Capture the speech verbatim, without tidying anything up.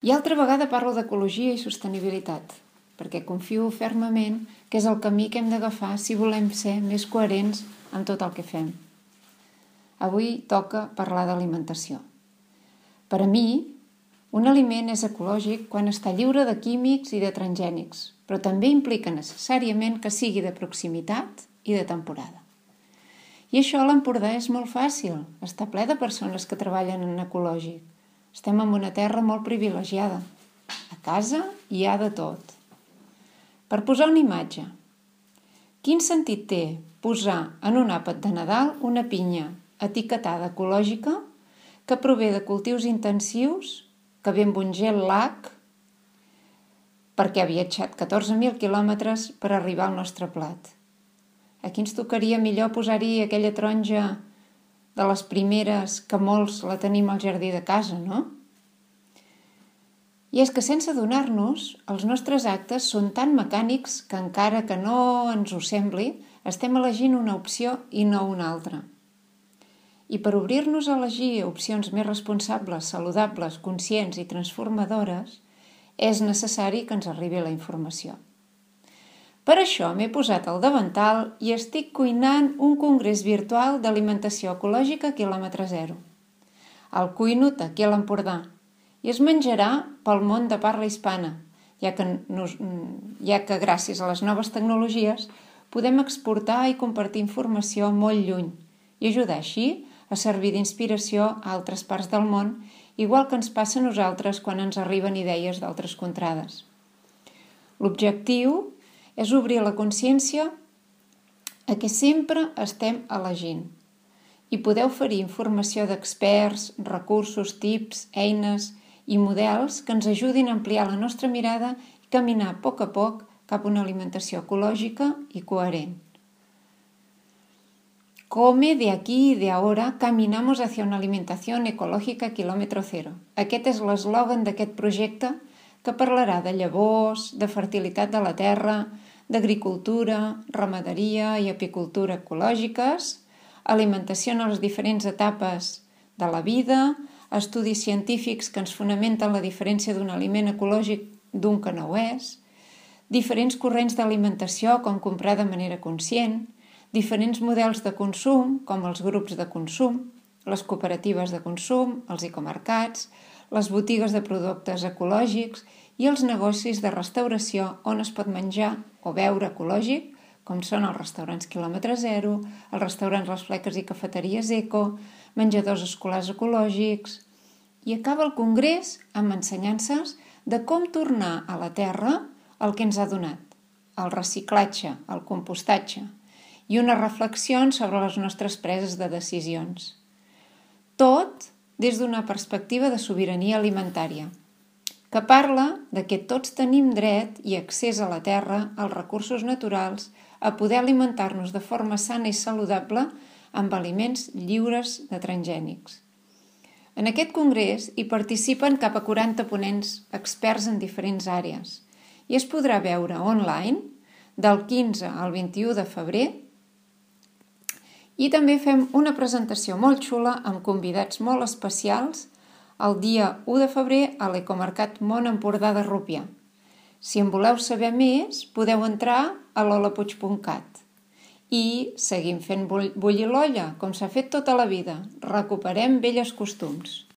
I altra vegada parlo d'ecologia i sostenibilitat, perquè confio fermament que és el camí que hem d'agafar si volem ser més coherents amb tot el que fem. Avui toca parlar d'alimentació. Per a mi, un aliment és ecològic quan està lliure de químics i de transgènics, però també implica necessàriament que sigui de proximitat i de temporada. I això a l'Empordà és molt fàcil, està ple de persones que treballen en ecològic. Estem en una terra molt privilegiada. A casa hi ha de tot. Per posar una imatge, quin sentit té posar en un àpat de Nadal una pinya etiquetada ecològica que prové de cultius intensius, que ve amb un gel lac, perquè ha viatjat catorze mil quilòmetres per arribar al nostre plat? Aquí ens tocaria millor posar-hi aquella taronja de les primeres que molts la tenim al jardí de casa, no? I és que sense adonar-nos, els nostres actes són tan mecànics que encara que no ens ho sembli, estem elegint una opció i no una altra. I per obrir-nos a elegir opcions més responsables, saludables, conscients i transformadores, és necessari que ens arribi la informació. Per això m'he posat al davantal i estic cuinant un congrés virtual d'alimentació ecològica quilòmetre zero. El cuino aquí a l'Empordà i es menjarà pel món de parla hispana, ja que, nos, ja que gràcies a les noves tecnologies podem exportar i compartir informació molt lluny i ajudar així a servir d'inspiració a altres parts del món, igual que ens passa a nosaltres quan ens arriben idees d'altres contrades. L'objectiu és obrir la consciència a què sempre estem elegint i poder oferir informació d'experts, recursos, tips, eines i models que ens ajudin a ampliar la nostra mirada i caminar a poc a poc cap a una alimentació ecològica i coherent. Come de aquí y de ahora caminamos hacia una alimentación ecológica kilómetro cero. Aquest és l'eslògan d'aquest projecte que parlarà de llavors, de fertilitat de la terra, d'agricultura, ramaderia i apicultura ecològiques, alimentació en les diferents etapes de la vida, estudis científics que ens fonamenten la diferència d'un aliment ecològic d'un que no ho és, diferents corrents d'alimentació com comprar de manera conscient, diferents models de consum com els grups de consum, les cooperatives de consum, els ecomercats, les botigues de productes ecològics i els negocis de restauració on es pot menjar o beure ecològic, com són els restaurants quilòmetre zero, els restaurants Les Fleques i cafeteries eco, menjadors escolars ecològics. I acaba el congrés amb ensenyances de com tornar a la terra el que ens ha donat, el reciclatge, el compostatge, i unes reflexions sobre les nostres preses de decisions. Tot des d'una perspectiva de sobirania alimentària, que parla de que tots tenim dret i accés a la terra, als recursos naturals, a poder alimentar-nos de forma sana i saludable amb aliments lliures de transgènics. En aquest congrés hi participen cap a quaranta ponents experts en diferents àrees i es podrà veure online del quinze al vint-i-u de febrer. I també fem una presentació molt xula amb convidats molt especials el dia u de febrer a l'Ecomercat Mont Empordà de Rupià. Si en voleu saber més, podeu entrar a lolapuig punt cat. I seguim fent bullir l'olla, com s'ha fet tota la vida. Recuperem vells costums.